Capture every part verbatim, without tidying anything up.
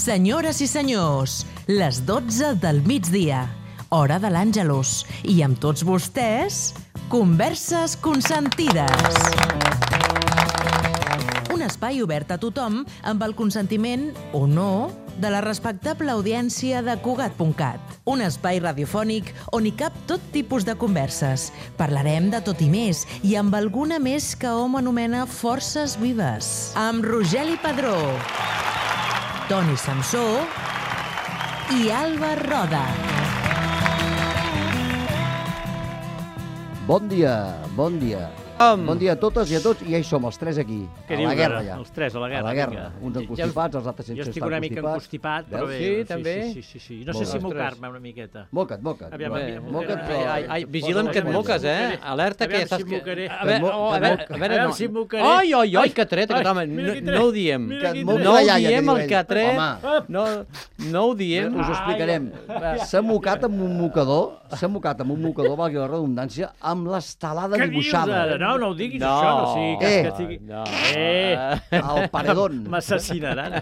Senyores i senyors, les dotze del migdia, hora de l'Àngelus, i amb tots vostès, Converses Consentides. Un espai obert a tothom amb el consentiment, o no, de la respectable audiència de Cugat punt cat. Un espai radiofònic on hi cap tot tipus de converses. Parlarem de tot i més, i amb alguna més que hom anomena forces vives. Amb Rogeli Padró, Toni Samsó i Alba Roda. Bon dia, bon dia. Um. Bon dia a totes i a tots, i ja hi som, els tres aquí. Què a dius, la guerra, ara? ja. Els tres, a la guerra. A la guerra. Vinga. Uns encostipats, els altres sense Jo estar estic una mica encostipats. encostipat, però bé. Veus? Sí, també? Sí, sí, sí. No Molt sé bé. si mocar-me una miqueta. Moca't, moca't. Aviam, Va, aviam, moca't, aviam. però... Ai, ai, vigila'm que et moques, eh? Alerta que Aviam ja estàs... si em mocaré. A veure, oh, a veure, a veure, Aviam no. si em mocaré. Ai, ai, ai, que tret, Ai, aquest home. mira No, qui no tret. ho diem. Mira qui moca tret. No ho la iaia, diem, que el diu que ell. tret. Home. No, no ho diem. Us ho explicarem. S'ha mocat amb un mocador, s'ha mocat amb un mocador, valgui la redundància, amb l'estelada Què dius dibuixada. ara? No, no ho diguis, No. això. No sigui que, Eh. que estigui... No. Eh. Al paredón. M'assassinaran.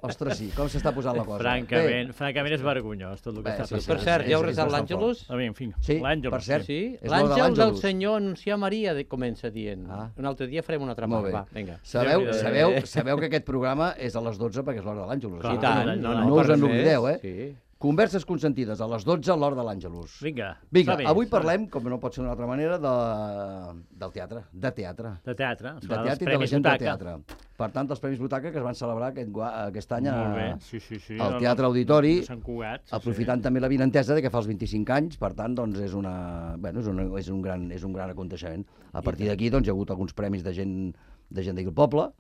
Ostres, sí, com s'està posant la cosa. Francament, francament és vergonyós tot el que Bé, està sí, sí, Per passant. cert, ja heu és- és resat bastant l'Àngelus? A mi, en fi, Sí, l'Àngel. per cert. Sí, És l'hora de l'àngel del l'Àngelus. Senyor anunciar Maria, de- comença dient. Ah. Un altre dia farem una altra Molt part. bé. Va, vinga. Sabeu, Déu-n'hi-do. sabeu, sabeu que aquest programa és a les dotze perquè és l'hora de l'Àngelus. Clar. I tant. no, no us per en res. oblideu, eh? Sí. Converses consentides a les dotze a l'hora de l'Àngelus. Vinga, Vinga, està bé, avui està bé. parlem, com no pot ser d'una altra manera, de... del teatre. De teatre. De teatre. De Serà dels teatre i de la Premis gent de Butaca. teatre. Per tant, els Premis Butaca que es van celebrar aquest, gua- aquest any a, Molt bé, sí, sí, sí. al No, Teatre no, Auditori, a Sant Cugat. Sí, aprofitant també la vinentesa de que fa els vint-i-cinc anys, per tant, doncs és, una, bueno, és, una, és, un, gran, és un gran aconteixement. A partir d'aquí doncs, hi ha hagut alguns premis de gent de gent d'aquí al poble,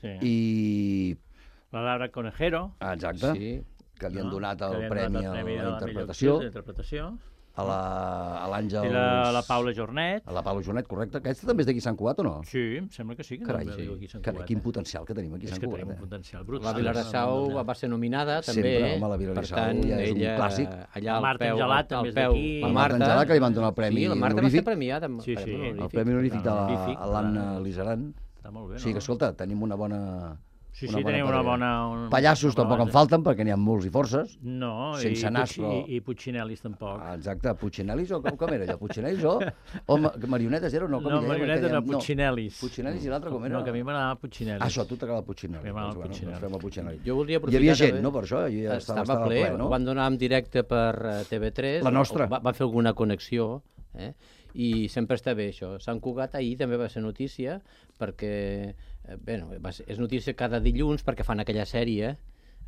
sí. i... La Laura Conejero. Ah, exacte. Sí. Que li han no? donat Que el li han premi donat a el premi de la millor interpretació, actriu d'interpretació. a la- a l'Àngels... I la, la Paula Jornet. A la Paula Jonet, correcte. Aquesta també és d'aquí Sant Cugat o no? Sí, em sembla que sí. Que Carai, també viu aquí a Sant carai, Cugat, quin eh? potencial que tenim aquí a És Sant que Cugat. tenim un eh? potencial brut. La Vilarassau va ser nominada, també. Sempre, eh? home, la Per Vilarassau tant, ja és un ella, clàssic. allà La al Marta peu, Angelat al també és peu. d'aquí. La La Marta, Marta Angelà, que li van donar el premi sí, la Marta va honorífic. ser premiada amb Sí, el sí. premi El honorífic. premi honorífic de Honorífic, l'Anna clar. Lizaran. Està molt bé, O sigui que, no? escolta, tenim una bona... Sí, una sí, bona tenim una parella. bona... Un, Pallassos una tampoc en base. falten, perquè n'hi ha molts i forces. No, sense i, nas, Puig- però- i, i Puccinelis tampoc. Ah, exacte, Puccinelis o com, com era allò? Puccinelis o... o ma- marionetes era o no? Com No, li deien? marionetes Que no, dèiem- Puccinelis. Puccinelis i l'altre com era? No, que a mi m'agradava Puccinelis. Ah, això, a tu t'agrada Puccinelis. A mi m'agrada Doncs, bueno, Puccinelis. doncs fem el Puccinelis. Jo voldria Hi aprofitar... havia gent, també- no, per això? Ja estava, Estava estava ple, ple, no? ho van donar en directe per eh, T V tres. La nostra. Va, va fer alguna connexió, eh? I sempre està bé això. Sant Cugat ahir també va ser notícia, perquè, eh, bé, no, va ser, és notícia cada dilluns perquè fan aquella sèrie,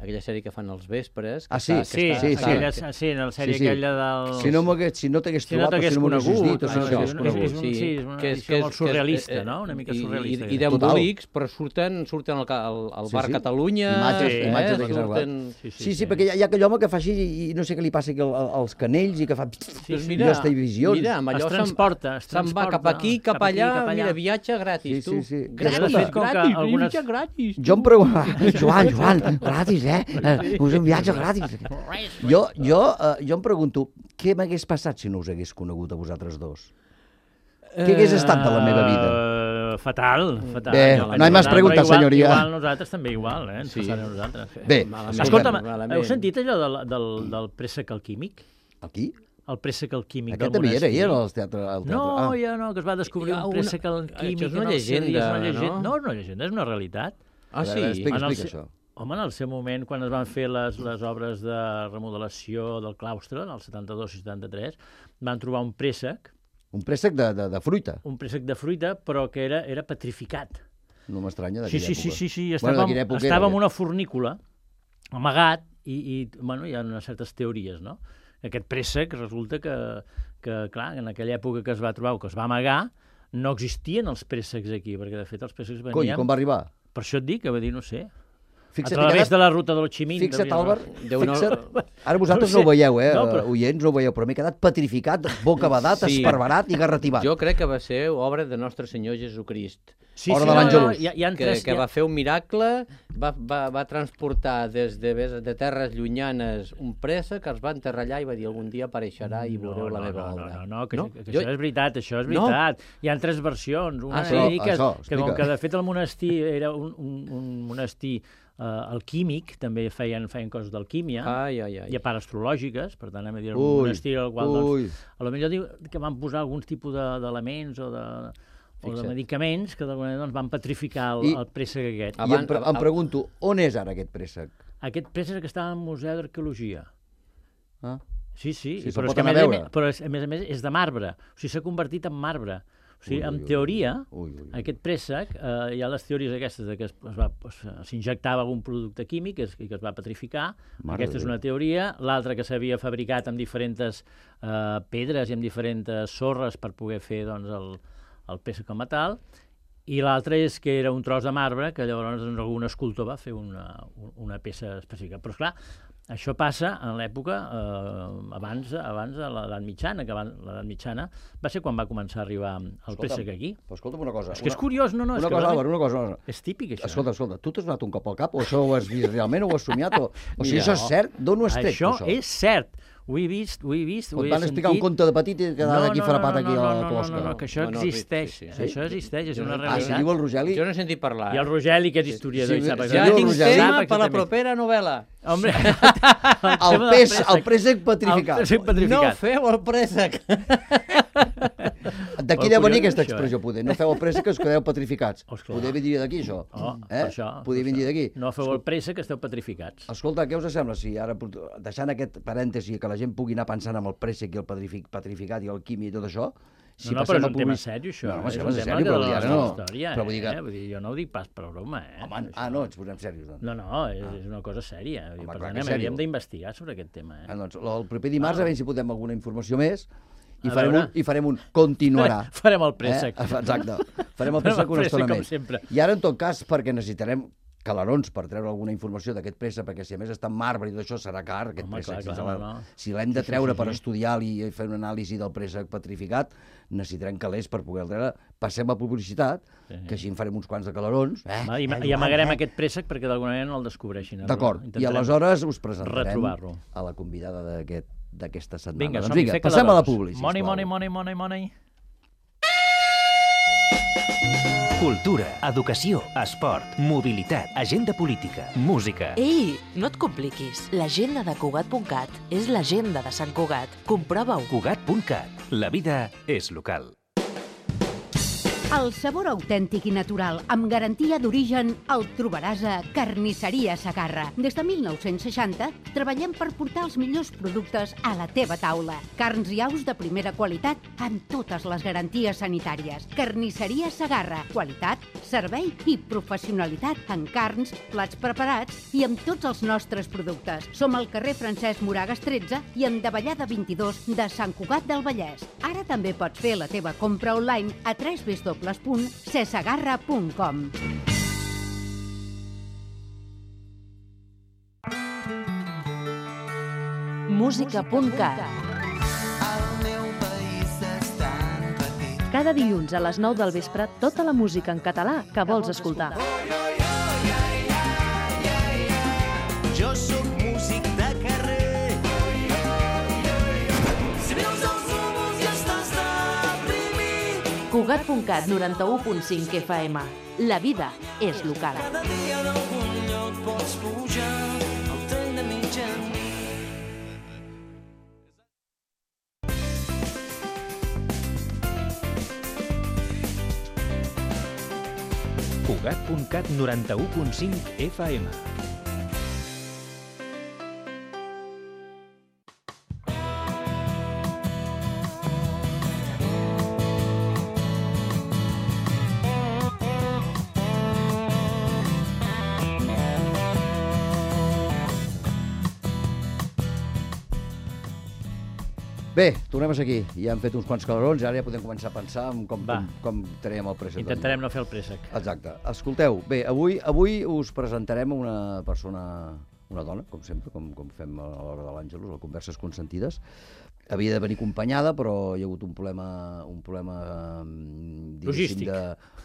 aquella sèrie que fan els vespres. Que Ah, sí? està, Sí, que sí, està, sí. aquella, sí, en la sèrie Sí, sí. aquella del... Si no m'hagués si no t'hagués Si no trobat, t'hagués o si no m'haguessis conegut, dit, o si no això, t'hagués és- conegut. és un- sí, és una edició molt surrealista, no? Una mica i- surrealista, I, i aquesta. d'embolics, però surten, surten al, ca- al, al Sí, bar sí. Catalunya... Imatges- eh? imatges de Sant surten... Sí, Sí, sí, perquè hi ha, hi ha aquell home que fa així i, i no sé què li passa aquí al- al- als canells i que fa... Doncs i mira, les televisions. mira, amb allò Es se'n- transporta, es se'n va cap transporta, aquí, cap, cap aquí, allà, cap allà. mira, viatge gratis, Sí, tu. sí, sí. Gratis, De fet, com que gratis, algunes- viatge gratis. Jo em pregunto... Joan, Joan, gratis, eh? eh us un viatge gratis. Jo, jo, eh, jo em pregunto, què m'hagués passat si no us hagués conegut a vosaltres dos? Què hagués estat de la meva vida? Uh, fatal, fatal. Bé, Jo, no hay más però preguntas, igual, senyoria. Igual nosaltres també igual, eh? Ens Sí. passarà a nosaltres. Bé, Malament, Escolta'm, malament. heu sentit allò del, del, del préssec alquímic? Aquí? El préssec alquímic Aquest del també era, monestir? hi era al teatre. Al teatre. No, ah. ja no, que es va descobrir Hi ha un una- préssec alquímic. Això és una en el seu dia, llegenda, és una llegenda. no? No, és una llegenda, és una realitat. Ah, A sí? veure, explica, En el explica se- això. Home, en el seu moment, quan es van fer les, les obres de remodelació del claustre, en el setanta-dos i setanta-tres, van trobar un préssec, Un préssec de, de, de fruita. un préssec de fruita, però que era, era petrificat. No m'estranya Sí, d'aquella sí, sí, època. sí, sí, Bueno, estava, de bueno, quina època estava era, en una fornícula, amagat, i, i bueno, hi ha unes certes teories, no? Aquest préssec resulta que, que, clar, en aquella època que es va trobar o que es va amagar, no existien els préssecs aquí, perquè de fet els préssecs venien... Cony, com va arribar? Per això et dic, que va dir, no sé, Fixa't, a través quedat- de la ruta del Ximín. Fixa't, devia- Àlvar, Déu no- fixa't. Ara vosaltres No no, sé. ho veieu, eh? No, No, però- però... Oients, no ho veieu, però m'he quedat petrificat, bocabadat, Sí. esparverat i garrativat. Jo crec que va ser obra de Nostre Senyor Jesucrist. Sí, Hora sí, de no, l'Àngelus. no, hi ha, hi ha que, tres... que hi ha- va fer un miracle, va, va, va transportar des de, de terres llunyanes un préssec, que els va enterrar allà i va dir algun dia apareixerà i veureu no, la no, meva no, obra. No, no, no, que, No? que, que Jo- això és veritat, això és No. veritat. Hi ha tres versions. Una Ah, sí? dir que, Això, que com explica. que de fet el monestir era un, un, un monestir el químic, també feien, feien coses d'alquímia, Ai, ai, ai. i a part astrològiques, per tant, anem a dir, Ui, un estil al qual, ui. doncs, a lo millor diu que van posar alguns tipus de- d'elements o de, o de Fixa't. medicaments que d'alguna manera doncs, van petrificar el, I- el préssec aquest. I em, Abans- pre em pregunto, on és ara aquest préssec? Aquest préssec està al Museu d'Arqueologia. Ah? Sí, sí, Sí, i se'l però, és pot que, a anar més, a a veure. més, però és, a més a més és de marbre, o sigui, s'ha convertit en marbre. O sigui, Ui, ui, en ui. teoria, Ui, ui, ui. aquest préssec, eh, hi ha les teories aquestes de que es- es va- es- s'injectava algun producte químic i es, i que es va petrificar. Mare Aquesta de és Déu. una teoria. L'altra que s'havia fabricat amb diferents eh, pedres i amb diferents sorres per poder fer doncs, el, el préssec com a tal. I l'altra és que era un tros de marbre que llavors doncs, algun escultor va fer una, una peça específica. Però, esclar, això passa en l'època eh, abans, abans de l'edat mitjana, que abans, l'edat mitjana va ser quan va començar a arribar el Escolta'm, préssec aquí. Però escolta'm una cosa. És que és una- curiós, no, no, és Una que cosa, realment Álvaro, una cosa. és típic, això. Escolta, escolta, tu t'has donat un cop al cap o això ho has vist realment o ho has somiat? O, o sigui, Mira, això és cert? D'on ho has tret, Això això? és cert. Ho he vist, ho he vist, ho Quan he van explicar sentit. un conte de petit i quedava aquí frapat aquí no, a no, la no, closca. no, no, que això No, no, existeix. sí, sí, sí. Això existeix, és una Jo- Ah, si realitat. diu el Rogeli... Jo no he sentit parlar. I el Rogeli, que és historiador, Sí, i sap sí, Ja diu el tinc Rogeli. tema Sap per la exactament. propera novel·la. Hombre, El, tema del pes, préssec. el préssec petrificat. El préssec petrificat. No feu el préssec. D'aquí Però deu venir curiós, aquesta això, expressió, poder. No feu el préssec que us quedeu petrificats. Oh, esclar. Poder venir d'aquí, això. oh, eh? per això. Poder per venir això. d'aquí. No feu el préssec, que esteu petrificats. Escolta, què us sembla si ara, deixant aquest parèntesi, que la gent pugui anar pensant en el préssec i el petrific, petrificat i el quimi i tot això, si no, no, passem però és a un tema public- sèrio, això. No, home, és si un és tema sèrio, de però la vull dir, ara nostra no. història, Però vull dir que- eh? Vull dir, jo no ho dic pas per broma, eh? Home, Això. ah, no, ens posem serios, doncs. No, no, és, és una cosa sèria. Home, per clar tant, que és hauríem sèrio. d'investigar sobre aquest tema, eh? Ah, doncs, el proper dimarts, a veure si podem alguna informació més, i A farem, veure. un, i farem un continuarà. Farem el préssec. Eh? Exacte. Farem el Farem préssec el una préssec, estona com més. sempre. I ara, en tot cas, perquè necessitarem calarons per treure alguna informació d'aquest préssec, perquè si a més està en marbre i tot això serà car, aquest Home, préssec. clar, si, clar, se la- no, no. si l'hem de treure per estudiar i fer una anàlisi del préssec petrificat, necessitarem calés per poder treure. Passem a publicitat, Sí. que així en farem uns quants de calarons. Eh? Va, I, Eh, i amagarem eh? aquest préssec perquè d'alguna manera no el descobreixin. D'acord, i Intentarem aleshores us presentarem retrobar-lo. a la convidada d'aquest d'aquesta setmana. Vinga, doncs som-hi, vinga, fer passem a la calarons. publi, sisplau. Money, money, money, money, money. Cultura, educació, esport, mobilitat, agenda política, música. Ei, no et compliquis. L'agenda de Cugat punt cat és l'agenda de Sant Cugat. Comprova-ho. Cugat punt cat. La vida és local. El sabor autèntic i natural, amb garantia d'origen, el trobaràs a Carnisseria Segarra. Des de mil nou-cents seixanta treballem per portar els millors productes a la teva taula. Carns i aus de primera qualitat amb totes les garanties sanitàries. Carnisseria Segarra. Qualitat, servei i professionalitat en carns, plats preparats i amb tots els nostres productes. Som al carrer Francesc Moragas tretze i en Davallada vint-i-dos de Sant Cugat del Vallès. Ara també pots fer la teva compra online a w w w punt cesegarra punt com. Música punt cat. Cada dilluns a les nou del vespre, tota la música en català que vols escoltar. Jo sóc músic de carrer. Si veus els núvols i estàs deprimit, Cugat punt cat, noranta-u punt cinc F M. La vida és local. cada dia d'algun lloc pots pujar al tren de mitjanit. Cugat punt cat noranta-u punt cinc F M. Bé, tornem a ser aquí. Ja hem fet uns quants calarons i ara ja podem començar a pensar en com, Va. com, com traiem el préssec. Intentarem no fer el préssec. Exacte. Escolteu, bé, avui avui us presentarem una persona una dona, com sempre, com, com fem a l'hora de l'Àngelus, a Converses Consentides. Havia de venir acompanyada, però hi ha hagut un problema, un problema logístic, de,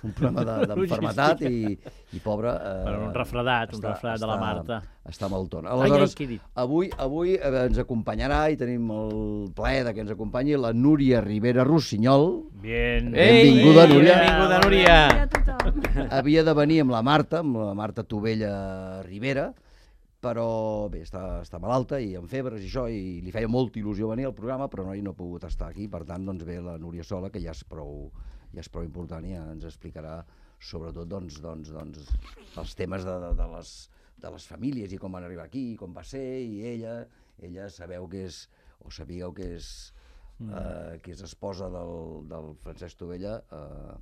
un problema d'enfermetat de, i, i pobra... Eh, per un refredat, està, un refredat està, de la Marta. Està maltona. Aleshores, ai, ai, avui, avui ens acompanyarà i tenim el plaer de que ens acompanyi la Núria Rivera Rossinyol. Bien. Benvinguda, Ei, Núria. Benvinguda, Núria. Havia de venir amb la Marta, amb la Marta Tovella Rivera, però bé, està, està malalta i amb febres i això, i li feia molta il·lusió venir al programa, però no, no ha pogut estar aquí, per tant, doncs ve la Núria sola, que ja és prou, ja és prou important i ja ens explicarà sobretot doncs, doncs, doncs, els temes de, de, de, les, de les famílies i com van arribar aquí, com va ser, i ella, ella sabeu que és, o sabíeu que és, mm. eh, que és esposa del, del Francesc Tovella, eh,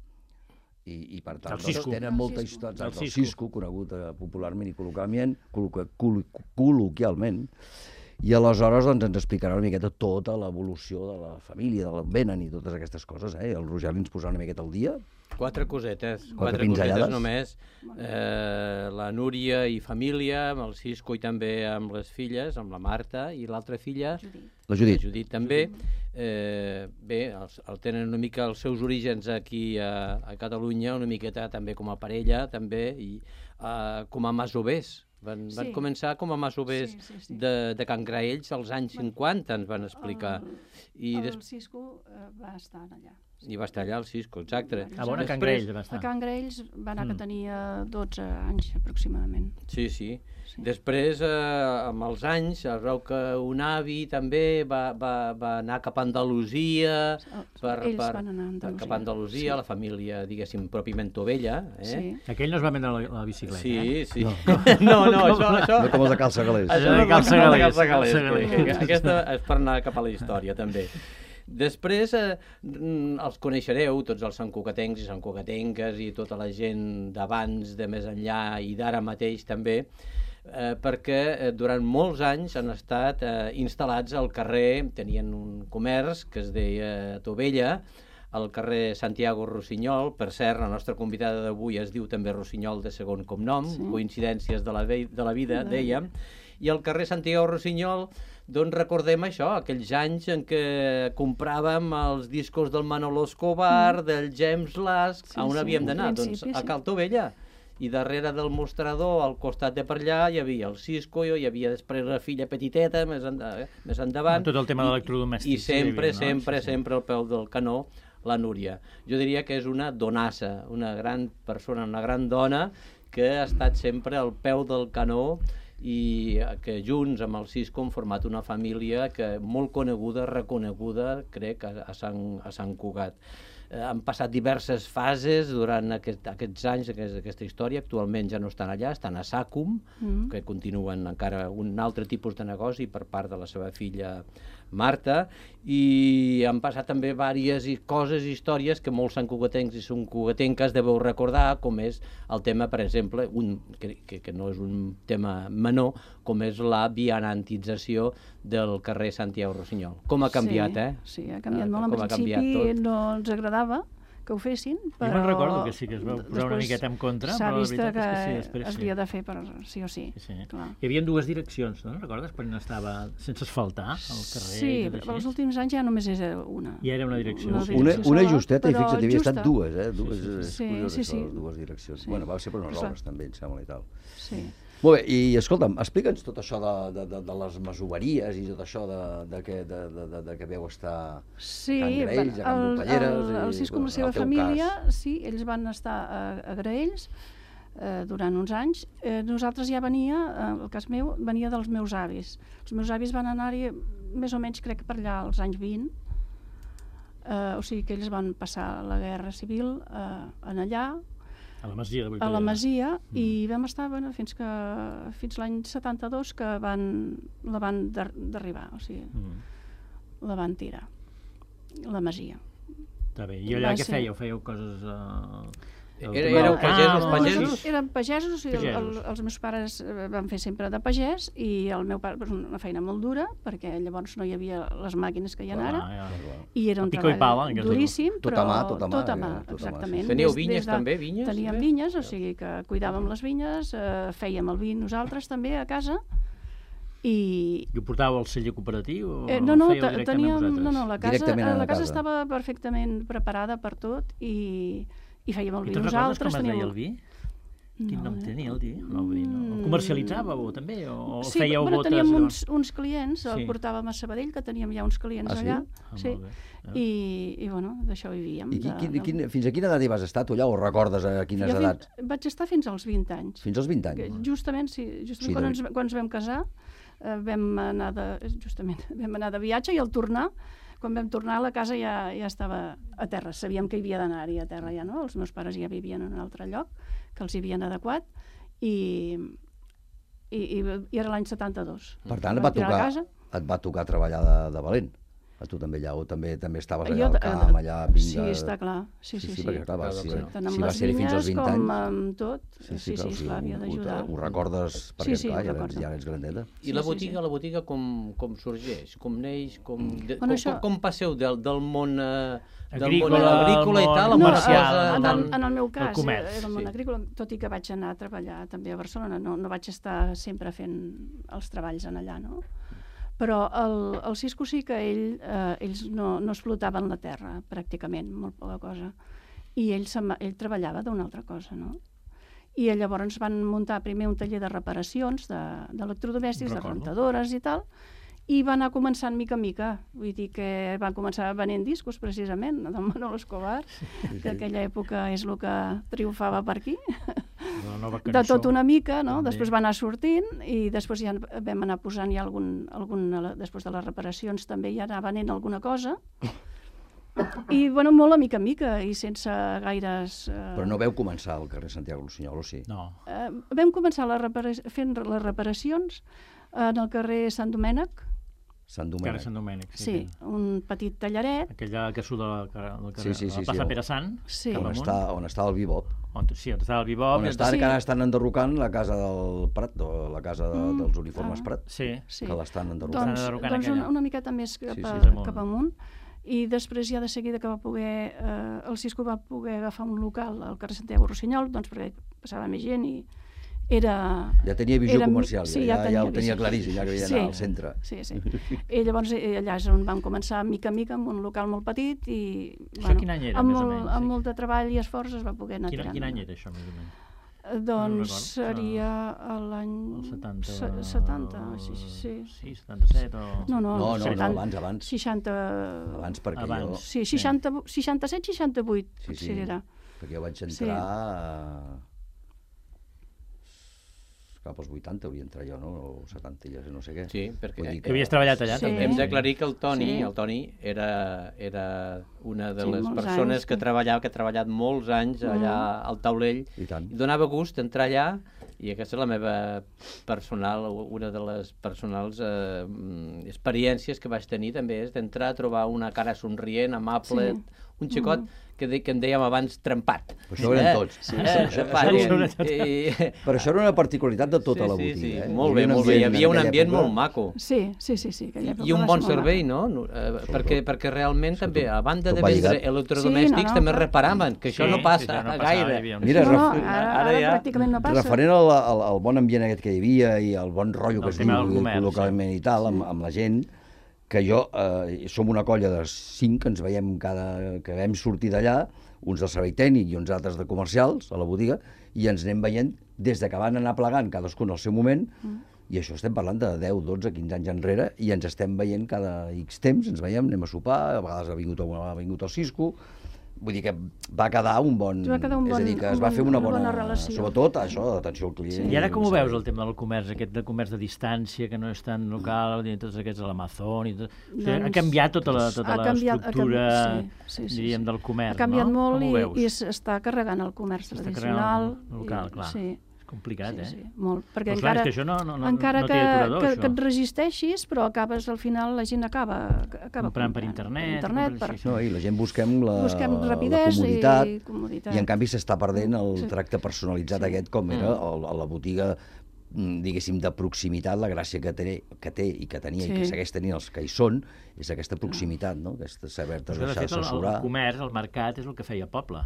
I, i per tant doncs, tenen molta història del Cisco, conegut eh, popularment i col·loquialment, col·lo col col·loquialment, i aleshores doncs, ens explicarà una miqueta tota l'evolució de la família, d'on venen i totes aquestes coses, eh? El Rogeli ens posarà una miqueta al dia. Quatre cosetes, quatre, quatre cosetes només. Eh, la Núria i família, amb el Cisco i també amb les filles, amb la Marta i l'altra filla, la Judit, la Judit també. Eh, bé, el, el tenen una mica els seus orígens aquí a, a Catalunya, una miqueta també com a parella, també, i uh, com a masovers. Van, sí. van començar com a masovers sí, sí, sí. De, de Can Graells als anys cinquanta, ens van explicar. El, I el des... Cisco uh, va estar allà. I va estar allà el Cisco, exacte. Ah, bon, a Can Graells va estar. A Can Graells va anar mm. que tenia dotze anys aproximadament. Sí, sí. sí. Després, eh, amb els anys, es veu que un avi també va, va, va anar cap a Andalusia, per, ells per, van anar a Andalusia, cap a Andalusia, sí. La família, diguéssim, pròpiament Tovella. Eh? Sí. Aquell no es va vendre la, la bicicleta, sí, eh? Sí, sí. No, no, no això, això... No com els de Calçagalers. Això no com els de Calçagalers. Aquesta és per anar cap a la història, també. Després eh, els coneixereu, tots els santcugatencs i santcugatenques i tota la gent d'abans, de més enllà i d'ara mateix també, eh, perquè eh, durant molts anys han estat eh, instal·lats al carrer, tenien un comerç que es deia Tovella, al carrer Santiago Rossinyol. Per cert, la nostra convidada d'avui es diu també Rossinyol de segon cognom, sí. Coincidències de la, de la vida, dèiem, i al carrer Santiago Rossinyol doncs recordem això, aquells anys en què compràvem els discos del Manolo Escobar, mm. del James Last, sí, on sí, havíem d'anar? Doncs a Cal Tovella. I darrere del mostrador, al costat de per allà, hi havia el Cisco, hi havia després la filla petiteta, més, en, eh, més endavant. Tot el tema d'electrodomèstics. I sempre, havia, no? sempre, sí, sí. sempre al peu del canó, la Núria. Jo diria que és una donassa, una gran persona, una gran dona, que ha estat sempre al peu del canó i que junts amb el Cisco han format una família que molt coneguda, reconeguda, crec, a, a, Sant, a Sant Cugat. Eh, han passat diverses fases durant aquest, aquests anys, aquest, aquesta història. Actualment ja no estan allà, estan a Sàcum, mm. que continuen encara un altre tipus de negoci per part de la seva filla Marta, i han passat també diverses coses, històries que molts santcugatencs i santcugatenques deveu recordar, com és el tema, per exemple, un, que, que no és un tema menor, com és la vianantització del carrer Santiago Rossinyol. Com ha canviat, sí, eh? Sí, ha canviat molt. En principi no ens agradava que ho fessin, però... Jo me'n recordo que sí, que es va posar una miqueta en contra, però la veritat que és que sí, després es havia de fer per sí o sí. sí, sí. Hi havia dues direccions, no? Recordes? Quan estava sense asfaltar el carrer? Sí, però els últims anys ja només és una. Ja era una direcció. Una, una, una justeta, i fixa't, havia estat dues, eh? Dues, sí, sí, sí. curiós, sí, sí. això, dues direccions. Sí. Bueno, va ser per unes obres també, em sembla, i tal. Sí. Molt bé, i escolta'm, explica'ns tot això de, de, de, de les masoveries i tot això de, de, que, de, de, de, de que veu estar sí, a Can Graells, a Can Dolpelleres... El, el, el Cisco amb la seva família, cas. Sí, ells van estar a, a Graells eh, durant uns anys. Eh, nosaltres ja venia, eh, el cas meu, venia dels meus avis. Els meus avis van anar-hi més o menys, crec, per allà als anys vint. Eh, o sigui que ells van passar la Guerra Civil eh, en allà, a la Masia, a la Masia mm. i vam estar bueno, fins que fins l'any setanta-dos que van, la van derribar, o sigui, mm. la van tirar, la Masia. Està bé. I allà què fèieu? Fèieu coses... Uh... Era, éreu pagesos, pagesos? Eren pagesos, i el, el, pagesos. Els meus pares van fer sempre de pagès i el meu pare, una feina molt dura, perquè llavors no hi havia les màquines que hi ha ara, ah, ja. i era un treball pala, duríssim, tot però a mà, tot a mà, tot a mà, tot exactament. Sí. Teníeu vinyes de, també, vinyes? Teníem vinyes, o sigui que cuidàvem les vinyes, eh, fèiem el vi nosaltres també a casa, I... I ho portàveu al celler cooperatiu o Eh, no, no, ho fèieu te- directament teníem, vosaltres? no, no, la casa, Directament a la la casa casa. estava perfectament preparada per tot i, i fèiem el I vi te'n recordes nosaltres. com es deia teníem- el vi? Quin No, nom eh? tenia el vi? No, vull dir, no. El Mm. comercialitzàveu també? O Sí, fèieu bueno, botes? teníem llavors? uns, uns clients, el Sí. portàvem a Sabadell, que teníem ja uns clients Ah, sí? allà. Ah, sí. molt bé. Ah. I, I, bueno, d'això vivíem. I qui, de- quin, de- quin, fins a quina edat hi vas estar tu allà, o recordes a quines Jo edats? Fins, vaig estar fins als vint anys. Fins als vint Que anys? Justament, sí, justament Sí, quan, de- ens, quan ens vam casar, eh, vam anar de, justament, vam anar de viatge i al tornar, quan vam tornar, la casa ja, ja estava a terra. Sabíem que hi havia d'anar-hi a terra ja, no? Els meus pares ja vivien en un altre lloc, que els hi havien adequat, i, i, i, i era l'any setanta-dos. Per tant, et Vam va tirar a tocar, casa. et va tocar treballar de, de valent. A tu també allà, o també també estaves allà Jo, al eh, camp, allà, Sí, vinga... està clar. Sí, sí, sí. perquè clar, va, si, Clar, Tant amb si va les ser fins als vinyes vint com anys... amb tot. Sí, sí, clar, o sí, sigui, clar, havia ho- d'ajudar. Ho, ho recordes, perquè Sí, sí, clar, ho ja, ets, recordo. ja ets grandeta. I la botiga, la botiga com, com sorgeix? Com neix? Com, de, Bueno, com, això- com, com passeu del, del món, eh, del Agrícola, món agrícola i al tal, món a No, comercial, en, en, del- en el meu del cas, comerç, era el món sí. agrícola, tot i que vaig anar a treballar també a Barcelona, no, no vaig estar sempre fent els treballs en allà, no? Però el, el Cisco sí que ell, eh, ells no, no explotaven la terra, pràcticament, molt poca cosa. I ell, se'n- ell treballava d'una altra cosa, no? I llavors van muntar primer un taller de reparacions de- d'electrodomèstics, de, de Recordo. rentadores i tal, i va anar començant mica en mica. Vull dir que van començar venent discos, precisament, del Manolo Escobar, que aquella època és el que triomfava per aquí. La nova De cançó. tot una mica, no? també. Després va anar sortint i després ja vam anar posant ja algun, algun, després de les reparacions també ja anar venent alguna cosa. I, bueno, molt a mica en mica i sense gaires... Eh, Però no veu començar al carrer Santiago Rossinyol, o sí? No. eh, vam començar les repara fent les reparacions en el carrer Sant Domènec, Sant Carrer Domènec. Sant Domènec. sí, un petit tallaret, Aquella que surt del carrer, del carrer, Sí, sí, sí, la plaça sí, el- Pere Sant. sí. cap On amunt. està, on està el Bibop. On, sí, on estava el Bibop. On i està, Sí. que ara estan enderrocant la casa del Prat, o la casa de, Mm, dels uniformes ah. Prat, Sí. sí. que l'estan Doncs, enderrocant. Estan enderrocant doncs aquella. una, una miqueta més cap, Sí, a, sí, amunt. cap amunt. I després ja de seguida que va poder, eh, el Cisco va poder agafar un local al carrer Santiago Rossinyol, doncs perquè passava més gent i era... Ja tenia visió era- comercial, sí, ja, ja, ja ho visió. tenia claríssim, ja que havia Sí. d'anar al centre. Sí, sí. I llavors eh, allà és on vam començar mica en mica amb un local molt petit i Això quin any era, amb, més o molt, menys, amb sí? molt de treball i esforç es va poder anar Quin, tirant. quin any era això, més o menys? Eh, Doncs recordo. seria l'any... El setanta... se- setanta, sí, sí, sí. Sí, setanta-set o... No, no, No, no, no, setanta- abans, abans. seixanta... Abans, perquè Abans. jo... Sí, seixanta, seixanta-set, seixanta-vuit, Sí, potser sí. era. Perquè jo vaig entrar... Sí. a- cap als vuitanta hauria entrar jo, no? O setanta, ja no sé què. Sí, perquè Vull dir Que havies treballat allà, Sí. també. hem d'aclarir que el Toni, Sí. el Toni era, era una de Sí, les molts persones anys, que sí. treballava, que ha treballat molts anys allà al taulell, I tant. i donava gust entrar allà, i aquesta és la meva personal, una de les personals eh, mm, experiències que vaig tenir també, és d'entrar a trobar una cara somrient, amable, Sí. un xicot que, de, que en dèiem abans trempat. Però això ho eren tots. Sí, Sí, eh, això- trempat, això i- ho eren tots. i- Però això era una particularitat de tota sí, la sí, botiga, sí, eh? molt Hi bé, havia un molt bé. Hi ambient havia un en ambient aquella molt maco. Sí, sí, sí, sí. aquella I època un va bon ser molt servei, maca. no? Eh, perquè, perquè realment també, a banda tot de va vendre lligat. electrodomèstics, Sí, no, no, també clar. reparaven, que això Sí, no sí, passa sí, no passava, gaire. hi havia un- Mira, No, no, ref- ara, ara ara ja- pràcticament no passa. Referent al, al, al bon ambient aquest que hi havia i al bon rotllo que Del es tema diu del comerç, col·locament i tal, amb, amb la gent, que jo, eh, som una colla de cinc que ens veiem cada, que vam sortir d'allà, uns del servei tècnic i uns altres de comercials, a la botiga, i ens anem veient des de que van anar plegant cadascun al seu moment, Mm. i això estem parlant de deu, dotze, quinze anys enrere, i ens estem veient cada X temps, ens veiem, anem a sopar, a vegades ha vingut, ha vingut el Cisco, vull dir que va quedar un bon... Va quedar un és a bon- dir, que un es va bon- fer una una bona... bona relació. Sobretot això, d'atenció al client. I ara com ho un servei. veus, el tema del comerç, aquest de comerç de distància, que no és tan local, i tots aquests a l'Amazon i tot... O sigui, ha Doncs- canviat tota la, tota Ha canviat- ha l'estructura, canviat- sí, sí, sí, diríem, sí. del comerç, Ha canviat no? molt Com ho i, veus? i s'està carregant el comerç S'està tradicional. carregant el local, i- clar. Sí, És complicat, sí, eh? sí, molt. Perquè Però clar, encara, és que això no, no, no, encara no que, té aturador, que, això. que et resisteixis, però acabes, al final, la gent acaba, acaba Comprant per comprant internet, internet comprant- per, sí, sí. No, i la gent busquem la, busquem la rapidesa comoditat, i comoditat. i en canvi s'està perdent el Sí. tracte personalitzat Sí. aquest com era el, a la botiga, mm, diguéssim, de proximitat, la gràcia que té, que té i que tenia i que Sí. segueix tenint els que hi són, és aquesta proximitat, no? Aquesta saber-te Però és que, de deixar fet, el, assessorar. el comerç, el mercat, és el que feia poble.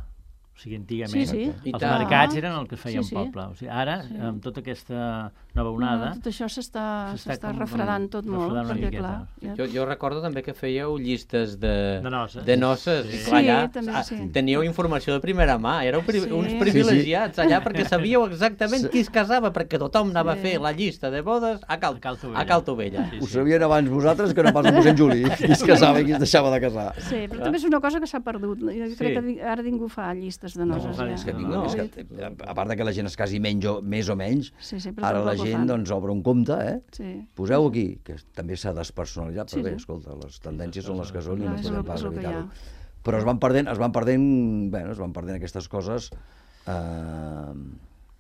O O sigui, antigament, Sí, sí. I els tant. mercats eren el que es feia Sí, sí. un poble. O sigui, ara, Sí. amb tota aquesta nova onada... No, tot això s'està s'està s'està com- refredant tot molt, refredant una perquè miqueta. clar... Ja... Jo, jo recordo també que fèieu llistes de, De noces. de noces. Sí. I clar, Sí, allà també, ah, sí. teníeu informació de primera mà. Éreu pri Sí. uns Sí, privilegiats allà perquè sabíeu exactament qui es casava, perquè tothom anava Sí. a fer la llista de bodes a Cal, A Cal Tovella. a Cal Tovella. Sí, Ho sabien abans vosaltres que no pas el mossèn Juli, qui es casava i qui es deixava de casar. Sí, però també és una cosa que s'ha perdut. Jo crec Sí. que di- ara ningú fa llistes de No, noses. fa ja. és Que No, ningú, no. és que, a part de que la gent es casi menys o, més o menys, Sí, sí, però ara la tampoc ho gent fan. doncs, obre un compte, eh? Sí. Poseu aquí, que també s'ha despersonalitzat, Sí, però bé, sí. escolta, les tendències són les que són i Clar, no és podem el- pas és el que hi ha. evitar-ho. Però es van perdent, es van perdent, bueno, es van perdent aquestes coses eh,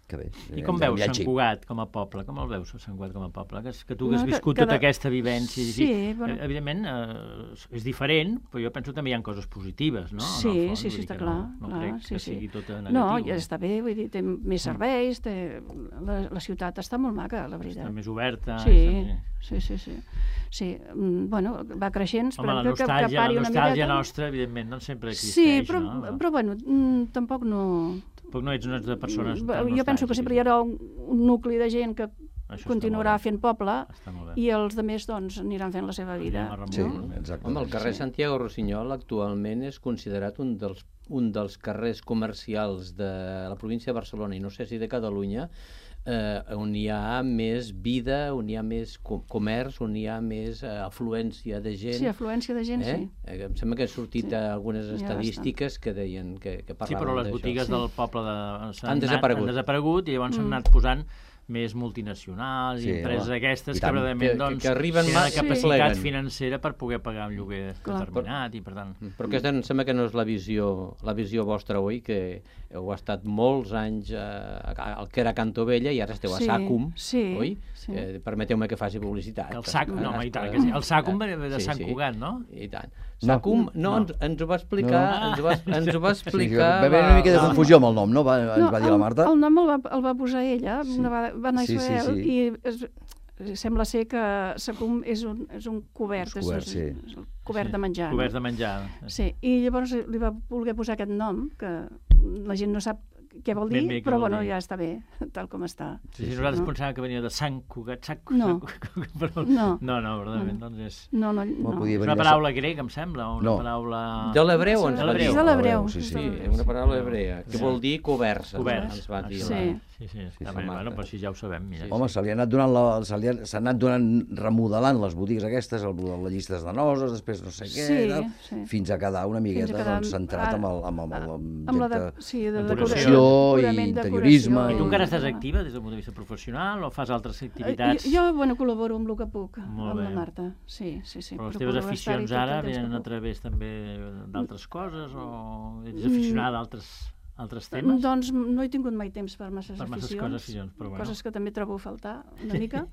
que bé. I com ens han veus enviat Sant xip. Cugat com a poble? Com el veus, Sant Cugat com a poble? Que, que tu No, has que- viscut que tota de- aquesta vivència. i Sí, així. bueno. Eh, Evidentment, eh, és diferent, però jo penso que també hi ha coses positives, no? En Sí, el fons, sí, vull sí, dir està que clar. No, no clar, crec sí, que sí. sigui tot negatiu. No, ja està bé, vull dir, té més serveis, té... La, la ciutat està molt maca, la veritat. Està més oberta. Sí, està- sí, sí, sí. Sí, mm, bueno, va creixent, Home, la esperem que, que, que nostàlgia, pari la una nostàlgia miqueta. nostra, evidentment, doncs sempre existeix, Sí, però, no? però bueno, mm, tampoc no... Tampoc no ets, no ets de persones Mm, tan jo penso que sempre hi haurà un, un nucli de gent que Això està continuarà molt bé. fent poble Està molt bé. i els altres doncs, aniran fent la seva vida. Anirem a Sí, remuntar. exacte. Home, el carrer Santiago Rossinyol actualment és considerat un dels, un dels carrers comercials de la província de Barcelona i no sé si de Catalunya, eh, on hi ha més vida, on hi ha més co comerç, on hi ha més eh, afluència de gent. Sí, afluència de gent, eh? sí. Eh, em sembla que han sortit Sí. algunes Hi ha estadístiques que deien que, que Sí, parlaven però les d'això. botigues Sí. del poble de... s'han Han anat- desaparegut. Han desaparegut i llavors s'han Mm. anat posant més multinacionals Sí, i empreses home. aquestes I que tant. realment Que- que- doncs, que arriben tenen la mà- capacitat sí. financera per poder pagar un lloguer Clar. determinat i per tant... Però aquesta em sembla que no és la visió, la visió vostra, oi? Que heu estat molts anys eh, al que era Cantovella i ara esteu a Sí, Sàcum, sí, oi? sí. Eh, Permeteu-me que faci publicitat. El Sàcum, no, Ah, home, i tant està- que sí. El Sàcum ve de Sí, Sant sí. Cugat, no? I tant. No. Sàcum, no, No. Ens, ens ho va explicar, No. ens, ho va, ens ho va Sí, explicar... va haver una mica de la- confusió amb el nom, no? Va, ens va dir la el, Marta. el nom el va, el va posar ella, Sí. una va, va anar a Sí, sí, Israel sí. i es, sembla ser que Sacum és un, és un cobert, Un cobert, és, sí. és el cobert Sí, de menjar. Coberts no? de menjar. Sí, i llavors li va voler posar aquest nom, que la gent no sap què vol dir, Ben bé què però vol bueno, dir. ja està bé, tal com està. Sí, sí, nosaltres no? pensàvem que venia de Sant Cugat, Sant No. Sant- però... No. no, no, verdaderament, doncs és... No, no, Home, no. podia És venir una de- paraula grega, em sembla, o una No. paraula... De l'hebreu ens De va dir. l'hebreu. És de l'hebreu. Sí, sí. Sí, una paraula hebrea, que Sí. vol dir coberts, Coberts. ens va dir. Sí. la- Sí, sí, Sí, està sí, bé, Marta. bueno, però si ja ho sabem, mira. Home, se li ha anat donant la, se li ha, s'han anat donant, remodelant les botigues aquestes, el, les llistes de noses, després no sé què, Sí, tal, sí. fins a quedar una miqueta Fins a quedar doncs, centrat ara- amb, el, amb, amb, amb, amb, Amb la gent de, que- sí, de decoració decoració, i purament interiorisme decoració I tu encara estàs i- activa des del punt de vista professional o fas altres Eh, activitats? Jo, jo, bueno, col·laboro amb el que puc, Molt amb bé. la Marta. Sí, sí, sí. Però les procuro teves estar-hi aficions tot el ara temps que venen a puc. través també d'altres coses o ets Mm. aficionada a altres, altres temes? Doncs no he tingut mai temps per masses Per masses aficions, coses, aficions, però bueno. coses que també trobo a faltar una mica,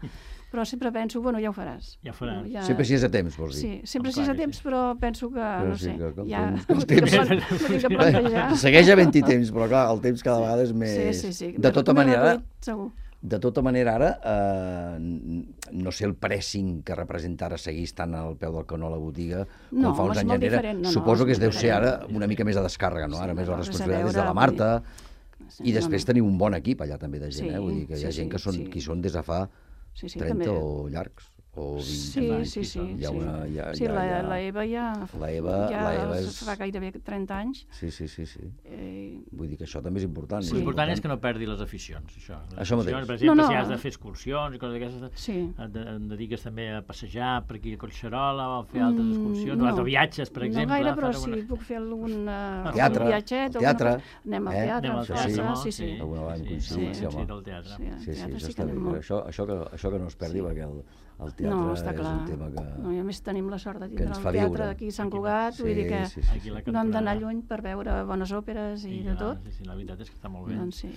però sempre penso, bueno, ja ho faràs. Ja ho faràs. Ja... Sempre si és a temps, vols dir. Sí, sempre Oh, si és clar a que temps, sí. però penso que, Però no sí, sé, que- que el ja... temps- que el m'ho temps- tinc que plan- m'ho tinc que plantejar. Segueix havent-hi temps, però clar, el temps cada vegada és més... Sí, sí, sí. De tota M'he manera, reduït, segur. de tota manera ara, eh, n- no sé el pressing que representa ara seguir estant al peu del canó a la botiga, com No, fa home, uns és anys molt enrere. diferent. No, no, Suposo és que es deu ser diferent. ara una mica més de descàrrega, no? Sí, Ara més no la res a responsabilitat és de veure, la vull Marta, Sí, i després no, no. tenim un bon equip allà també de gent, Sí, eh? Vull dir que hi ha sí, gent que són, sí. qui són des de fa Sí, sí, trenta també. o llargs, o vint Sí, anys. sí, sí. Hi ha sí. una... Hi ha, Sí, hi ha, la, hi ha... la Eva ja, La Eva- ja la Eva és- fa gairebé trenta anys. Sí, sí, sí, sí. Eh, Vull dir que això també és important. Sí. és L'important és que no perdi les aficions, això. Les Això mateix. aficions, per exemple, No, no. si has de fer excursions i coses d'aquestes, sí. et, de- et dediques també a passejar per aquí a Collserola o a fer altres Mm, excursions, no. o altres viatges, per exemple. No gaire, però fas sí, alguna- puc fer algun, uh, Teatre, algun viatget. al teatre, alguna cosa. Anem al eh? teatre, Anem al al teatre, teatre, no? sí, sí. Alguna vegada hem sí, coincidit, sí, sí, home. sí, del teatre. Sí, al Sí, sí, teatre això sí està que bé. anem però molt. Això, això, que, això que no es perdi, perquè el, el teatre No, està és clar. un tema que... No, i a més tenim la sort de que tindre ens el fa teatre viure. d'aquí a Sant Cugat, vull dir que sí, sí, Aquí a la no hem d'anar cantonada. lluny per veure bones òperes i I, de ah, tot. Sí, sí, la veritat és que està molt bé. Doncs sí.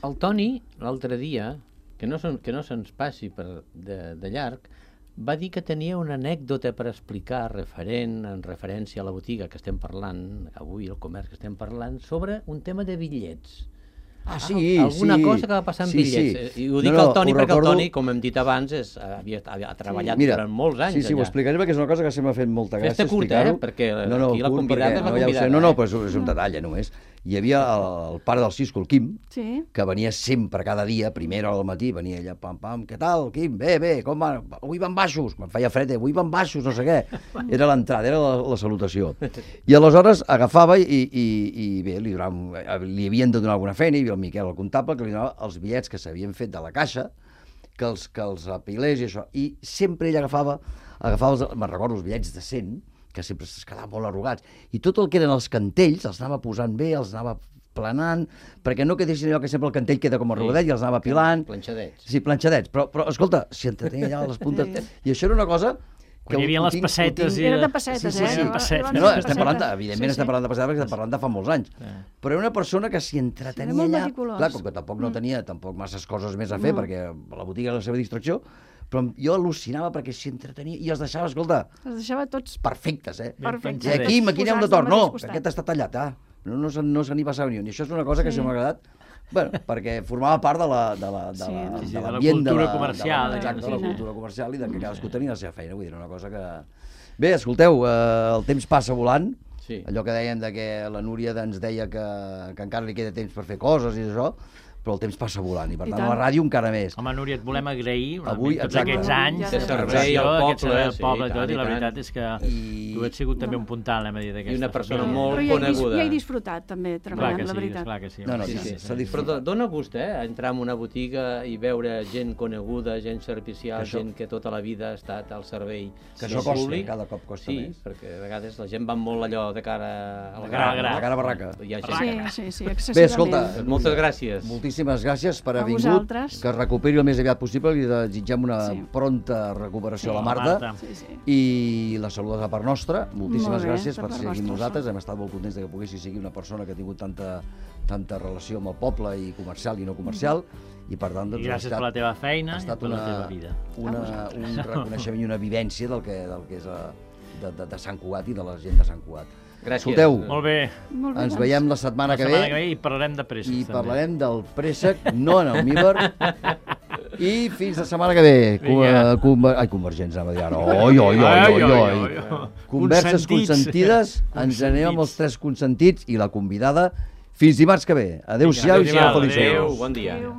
El Toni, l'altre dia, que no, son, que no se'ns passi per de, de llarg, va dir que tenia una anècdota per explicar referent, en referència a la botiga que estem parlant, avui el comerç que estem parlant, sobre un tema de bitllets. Ah, sí, Alguna sí. cosa que va passar amb Sí, bitllets. sí. I ho dic No, no, al Toni ho perquè recordo- el Toni, com hem dit abans, és, havia, havia treballat Mira, durant molts anys sí, sí, ho allà. explicaré perquè és una cosa que sempre m'ha fet molta gràcia Fes-te curta, explicar-ho. eh? Perquè no, no, aquí la curt, convidada perquè- és la no, ja ho sé, convidada, no, no, eh? però és, és un detall, eh, només. hi havia el, el pare del Cisco, el Quim, Sí. que venia sempre, cada dia, a primera hora del matí, venia allà, pam, pam, què tal, Quim? Bé, bé, com va? Avui van baixos. Quan feia fred, avui van baixos, no sé què. Era l'entrada, era la, la salutació. I aleshores agafava i, i, i bé, li, donava, li havien de donar alguna feina, i el Miquel, el comptable, que li donava els bitllets que s'havien fet de la caixa, que els, que els apilés i això. I sempre ell agafava, agafava els, me'n recordo, els bitllets de cent, que sempre es quedaven molt arrugats, i tot el que eren els cantells els anava posant bé, els anava planant, perquè no quedessin allò que sempre el cantell queda com arrugadet, sí, i els anava pilant. Planxadets. Sí, planxadets, però, però escolta, s'hi entretenia allà a les puntes, sí. I això era una cosa... Quan hi havia les pessetes... Era de pessetes, sí, sí, sí. eh? pessetes. No, no, estem parlant, de, evidentment sí, sí. estem parlant de pessetes perquè estem parlant de fa molts anys. Sí. Però era una persona que s'hi entretenia sí, allà... meticulós. Clar, com que tampoc no tenia tampoc masses coses més a fer, No. perquè la botiga era la seva distracció, però jo al·lucinava perquè s'hi entretenia i els deixava, escolta, Els deixava tots perfectes, eh? perfectes. I aquí, aquí anem de Posats torn. al No, mateix costat. aquest està tallat, ah. No, no, se, no se n'hi passava ni un. I això és una cosa que Sí. sí m'ha agradat, bueno, perquè formava part de la, de la, de Sí, la, sí, sí, de de la l'ambient de cultura la, comercial, de la, exacte, de la sí. cultura comercial i de que cadascú tenia la seva feina. Vull dir, era una cosa que... Bé, escolteu, eh, el temps passa volant. Sí. Allò que dèiem de que la Núria ens deia que, que encara li queda temps per fer coses i això, però el temps passa volant, i per I tant, tant. a la ràdio encara més. Home, Núria, et volem agrair una Avui, mica tots exacte. aquests anys Ja de de servei preparació, al aquest servei al poble, poble sí, i tot, tant, i la i tant. veritat és que I- tu ets sigut també un puntal, anem a dir, d'aquesta I una persona família. molt Però ja he, dis- coneguda. ja he disfrutat també Clar treballant, que la sí, veritat. clar que sí. No, no, Sí, sí, sí, sí, s'ha Però disfrutat. do- dona gust, eh? Entrar en una botiga i veure gent coneguda, gent servicial, Això- gent que tota la vida ha estat al servei Que del això costa, públic. cada cop costa sí, més. Sí, perquè a vegades la gent va molt allò de cara al De cara al gra. gra. La cara barraca. Hi ha gent Sí, que- sí, sí, Bé, excessivament. escolta, Moltes gràcies. moltíssimes gràcies per A haver vingut, vosaltres. que es recuperi el més aviat possible, li desitgem una Sí. pronta recuperació Sí. a la Marta, Marta. Sí, sí. i la saludes a part nostra. Moltíssimes Molt bé, gràcies de per part ser aquí amb vostra, nosaltres, hem estat molt contents de que poguessis seguir una persona que ha tingut tanta, tanta relació amb el poble, i comercial i no comercial, i per tant, doncs, I ha gràcies estat, per la teva feina ha i estat per la una, teva vida. una, un reconeixement i una vivència del que, del que és a, de, de, de Sant Cugat i de la gent de Sant Cugat. Gràcies. Escolteu, Molt bé. Molt bé, ens doncs. veiem la setmana La que setmana ve, que ve i parlarem de presses, i també. parlarem del préssec, no en el Míber, i fins la setmana que ve. Com, Vinga. uh, conver... Ai, convergents, anava a dir ara. Oi, oi, oi, oi, oi. Converses Consentits. consentides, ens anem amb els tres consentits i la convidada fins dimarts que ve. Adéu-siau i Adéu, sigueu adéu. feliços. Adéu, bon dia. Adéu.